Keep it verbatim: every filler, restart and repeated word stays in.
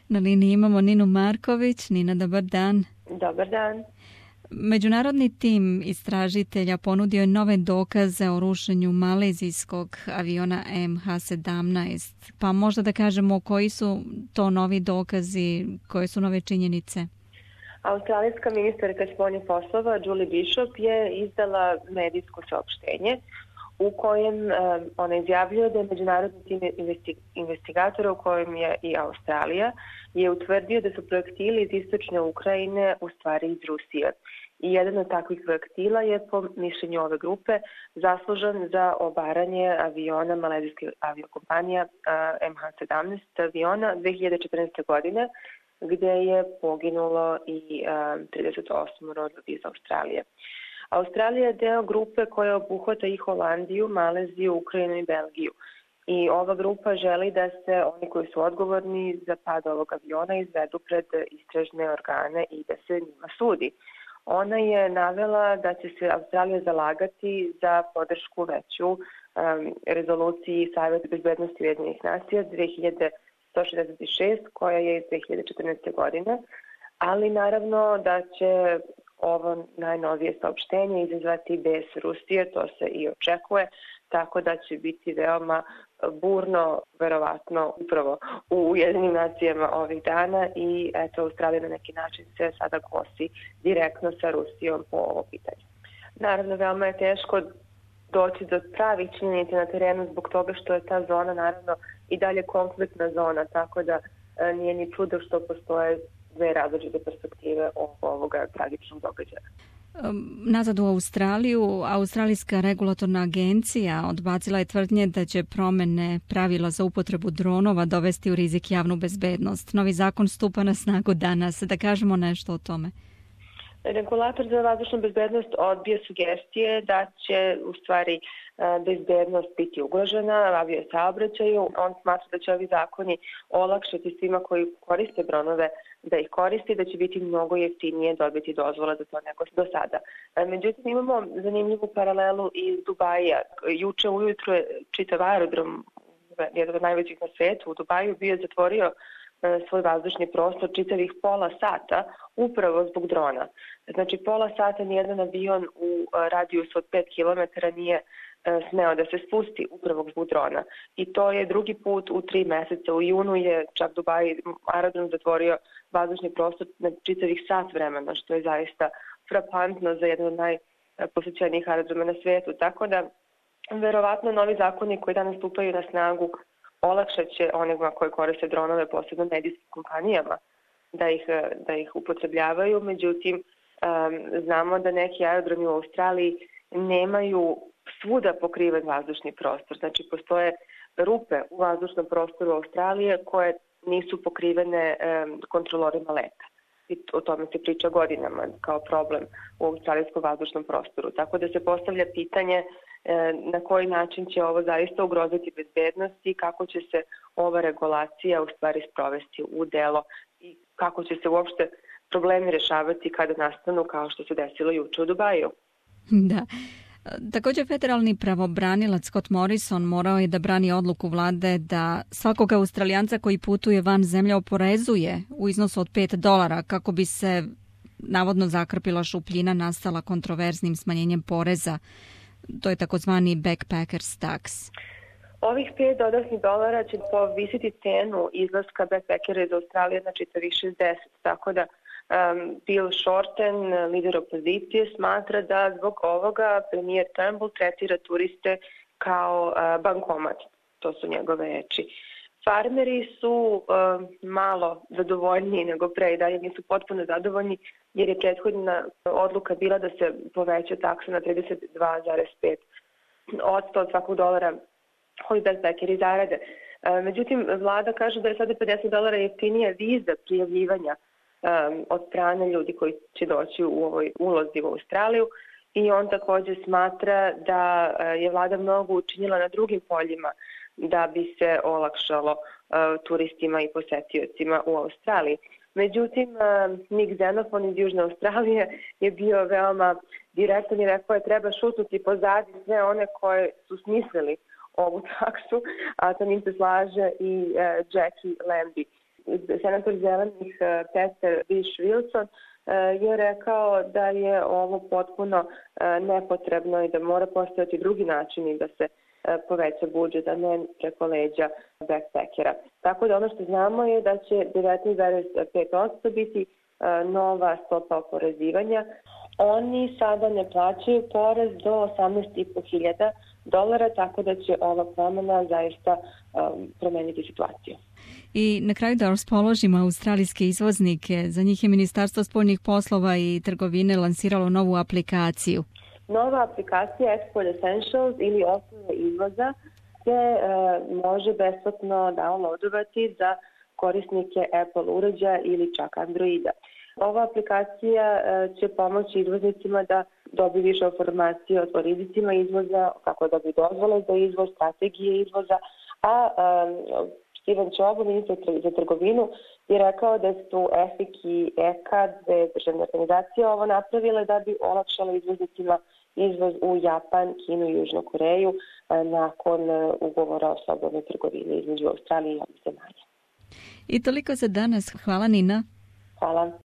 Na liniji imamo Ninu Marković. Nina, dobar dan. Dobar dan. Međunarodni tim istražitelja ponudio je nove dokaze o rušenju malezijskog aviona M H sedamnaest. Pa možda da kažemo koji su to novi dokazi, koje su nove činjenice? Australijska ministarka spoljnih poslova Julie Bishop je izdala medijsko saopštenje u kojem um, ona izjavljuje da je međunarodni tim investigatora, u kojem je i Australija, je utvrdio da su projektili iz istočne Ukrajine u stvari iz Rusije. I jedan od takvih projektila je, po mišljenju ove grupe, zaslužan za obaranje aviona malezijske aviokompanija uh, M H sedamnaest aviona dve hiljade četrnaeste. godine, gde je poginulo i uh, trideset osam ljudi iz Australije. Australija je deo grupe koja obuhvata i Holandiju, Maleziju, Ukrajinu i Belgiju. I ova grupa želi da se oni koji su odgovorni za pad ovog aviona izvedu pred istražne organe i da se njima sudi. Ona je navela da će se Australija zalagati za podršku veću um, rezoluciji Saveta bezbednosti Ujedinjenih nacija dve hiljade sto šezdeset šest koja je iz dve hiljade četrnaeste. godine, ali naravno da će ovo najnovije saopštenje izazvati bes Rusije, to se i očekuje, tako da će biti veoma burno, verovatno upravo u Ujedinjenim nacijama ovih dana i eto, Australija na neki način se sada kosi direktno sa Rusijom po ovo pitanje. Naravno, veoma je teško doći do pravih činjenica na terenu zbog toga što je ta zona naravno i dalje konfliktna zona, tako da e, nije ni čudo što postoje dve različite perspektive ovoga tragičnog događaja. Nazad u Australiju, Australijska regulatorna agencija odbacila je tvrdnje da će promene pravila za upotrebu dronova dovesti u rizik javnu bezbednost. Novi zakon stupa na snagu danas. Da kažemo nešto o tome. Regulator za vazdušnu bezbednost odbija sugestije da će u stvari bezbednost biti ugrožena avio saobraćaju. On smatra da će ovi zakoni olakšati svima koji koriste dronove da ih koristi, da će biti mnogo jeftinije dobiti dozvola za to nego do sada. Međutim, imamo zanimljivu paralelu iz Dubaja. Juče ujutro je čitav aerodrom, jedan od najvećih na svetu, u Dubaju bio zatvorio svoj vazdušni prostor čitavih pola sata upravo zbog drona. Znači, pola sata nijedan avion u radijusu od pet kilometara nije smeo da se spusti upravo zbog drona. I to je drugi put u tri meseca. U junu je čak Dubaj aerodrom zatvorio vazdušni prostor na čitavih sat vremena, što je zaista frapantno za jedan od najposećenijih aerodroma na svijetu. Tako da, verovatno, novi zakoni koji danas stupaju na snagu olakšat će onima koji koriste dronove, posebno medijskim kompanijama, da ih, da ih upotrebljavaju. Međutim, um, znamo da neki aerodromi u Australiji nemaju svuda pokriven vazdušni prostor. Znači, postoje rupe u vazdušnom prostoru Australije koje nisu pokrivene um, kontrolorima leta. I o tome se priča godinama kao problem u australijskom vazdušnom prostoru. Tako da se postavlja pitanje na koji način će ovo zaista ugroziti bezbednost i kako će se ova regulacija u stvari sprovesti u delo i kako će se uopšte problemi rešavati kada nastanu kao što se desilo juče u Dubaju. Da. Također, federalni pravobranilac Scott Morrison morao je da brani odluku vlade da svakog Australijanca koji putuje van zemlje oporezuje u iznosu od pet dolara kako bi se navodno zakrpila šupljina nastala kontroverznim smanjenjem poreza. To je takozvani backpackers tax. Ovih pet dodatnih dolara će povisiti cenu izlaska backpackera iz Australije na čitavih šezdeset, tako da um, Bill Shorten, lider opozicije, smatra da zbog ovoga premijer Turnbull tretira turiste kao uh, bankomat. To su njegove reči. Farmeri su uh, malo zadovoljniji nego pre i dalje nisu potpuno zadovoljni jer je prethodna odluka bila da se poveća taksa na trideset dva zarez pet odsto od svakog dolara koji backpackeri zarade. Uh, međutim, vlada kaže da je sada pedeset dolara jeftinija viza prijavljivanja um, od strane ljudi koji će doći u ovoj ulozi u Australiju i on također smatra da uh, je vlada mnogo učinila na drugim poljima da bi se olakšalo uh, turistima i posetiocima u Australiji. Međutim, uh, Nick Xenophon iz Južne Australije je bio veoma direktan i rekao je treba šutnuti pozadi sve one koje su smislili ovu taksu, a sa njim se slaže i uh, Jackie Lambie. senator zelenih Peter Vish-Wilson je rekao da je ovo potpuno nepotrebno i da mora postojati drugi načini da se poveća budžet, a ne preko leđa backpackera. Tako da ono što znamo je da će devetnaest zarez pet posto biti nova stopa oporezivanja. Oni sada ne plaćaju porez do osamnaest i po hiljada dolara, tako da će ova promena zaista um, promeniti situaciju. I na kraju da raspoložimo australijske izvoznike. Za njih je Ministarstvo spoljnih poslova i trgovine lansiralo novu aplikaciju. Nova aplikacija Export Essentials ili osnove izvoza se e, može besplatno downloadovati za korisnike Apple uređaja ili čak Androida. Ova aplikacija e, će pomoći izvoznicima da dobiju više informacije o rizicima izvoza, kako dobiju dozvole za izvoz, strategije izvoza, a e, Steven Čobo, ministar za trgovinu, je rekao da su E F I C i E K A, dve državne organizacije, ovo napravile da bi olakšalo izvoznicima izvoz u Japan, Kinu i Južnu Koreju nakon ugovora o slobodnoj trgovini između Australije i ovih zemalja. I toliko za danas. Hvala, Nina. Hvala.